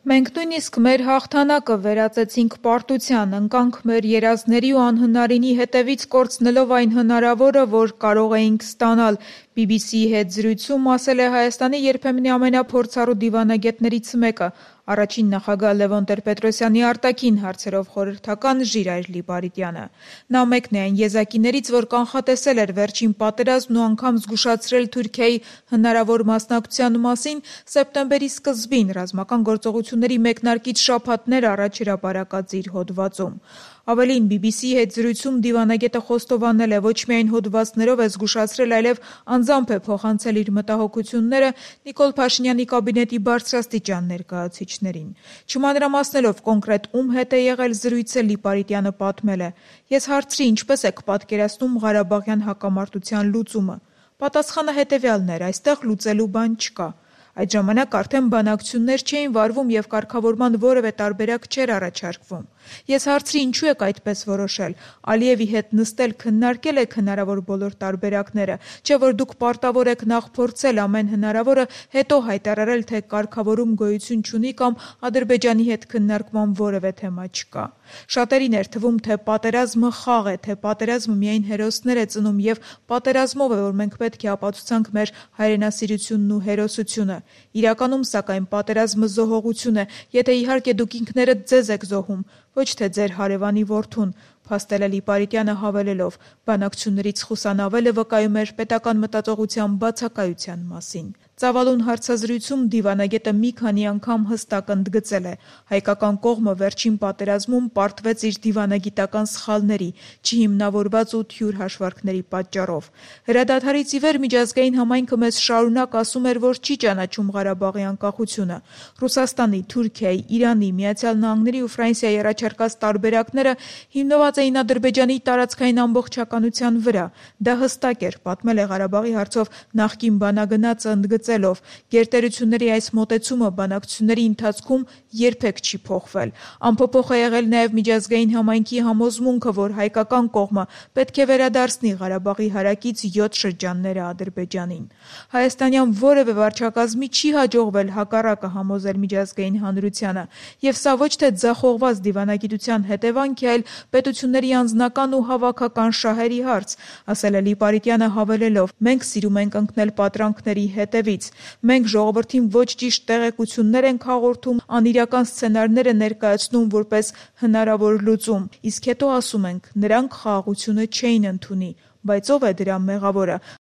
Մենք նույնիսկ մեր հաղթանակը վերածեցինք պարտության, ընկանք մեր երազների ու անհնարինի հետևից կորցնելով այն հնարավորը, որ կարող էինք ստանալ, BBC-ի հետ զրույցում ասել է Հայաստանի երբեմնի ամենափորձառու դիվանագետներից մեկը, առաջին նախագահ Լևոն Տեր-Պետրոսյանի արտաքին հարցերով խորհրդական Ժիրայր Լիպարիտյանը: Նա մեկն է այն եզակիներից, որ կանխատեսել էր վերջին պատերազմն ու անգամ զգուշացրել Թուրքիայի հնարավոր մասնակցության մասին սեպտեմբերի սկզբին ռազմական գործողությունների մեկնարկից շաբաթներ առաջ հրապարակած իր հոդվածում: Ավելին, BBC-ի հետ զրույցում դիվանագետը խոստովանել է ոչ միայն հոդվածներով է զգուշացրել, այլև անձամբ է փոխանցել իր մտահոգությունները Նիկոլ Փաշինյանի կաբինետի բարձրաստիճան ներկայացուցիչներին: Չմանրամասնելով կոնկրետ ում հետ է եղել զրույցը, Լիպարիտյանը պատմել է. «Ես հարցրի՝ ինչպես եք պատկերացնում Ղարաբաղյան հակամարտության լուծումը: Պատասխանը հետևյալն էր՝ այստեղ լուծելու բան չկա: Այդ ժամանակ արդեն բանակցություններ չէին վարվում և կարգավորման որևէ տարբերակ չէր առաջարկվում: Ես հարցրի՝ ինչու եք այդպես որոշել: Ալիևի հետ նստել քննարկե՞լ եք հնարավոր բոլոր տարբերակները, չէ՞ որ դուք պարտավոր եք նախ փորձել ամեն հնարավորը, հետո հայտարարել, թե կարգավորում գոյություն չունի կամ Ադրբեջանի հետ քննարկման որևէ թեմա չկա: Շատերին էր թվում, թե պատերազմը խաղ է, թե պատերազմը միայն հերոսներ է ծնում և պատերազմով է, որ մենք պետք է ապացուցանք մեր հայրենասիրությունն ու հերոսությունը: Իրականում, սակայն, պատերազմը զոհողություն է, եթե իհարկե դուք ինքներդ ձեզ եք զոհում, ոչ թե ձեր հարևանի որդուն», փաստել է Լիպարիտյանը հավելելով. «Բանակցություններից խուսանավելը վկայում էր պետական մտածողության բացակայության մասին»: Ծավալուն հարցազրույցում դիվանագետը մի քանի անգամ հստակ ընդգծել է. հայկական կողմը վերջին պատերազմում պարտվեց իր դիվանագիտական սխալների, չհիմնավորված ու թյուր հաշվարկների պատճառով: Հրադադարից ի վեր միջազգային համայնքը մեզ շարունակ ասում էր, որ չի ճանաչում Ղարաբաղի անկախությունը: Ռուսաստանի, Թուրքիայի, Իրանի, ԱՄՆ-ի ու Ֆրանսիայի առաջարկած տարբերակները հիմնված էին Ադրբեջանի տարածքային ամբողջականության վրա: Դա հստակ էր, պատմել է Ղարաբաղի հարցով նախկին բանագնացը, ընդգծելով. «Գերտերությունների այս մոտեցումը բանակցությունների ընթացքում երբեք չի փոխվել: Անփոփոխ է եղել նաև միջազգային համայնքի համոզմունքը, որ հայկական կողմը պետք է վերադարձնի Ղարաբաղի հարակից 7 շրջանները Ադրբեջանին: Հայաստանյան որևէ վարչակազմի չի հաջողվել հակառակը համոզել միջազգային հանրությանը: Եվ սա ոչ թե ձախողված դիվանագիտության հետևանք է, այլ պետությունների անձնական ու հավաքական շահերի հարց», ասել է Լիպարիտյանը հավելելով. «Մենք սիրում ենք ընկնել պատրանքների հետևից: Մենք ժողովրդին ոչ ճիշտ տեղեկություններ ենք հաղորդում, անիրական սցենարներ ներկայացնում որպես հնարավոր լուծում, իսկ հետո ասում ենք՝ նրանք խաղաղությունը չէին ընդունի: Բայց ո՞վ է դրա մեղավորը: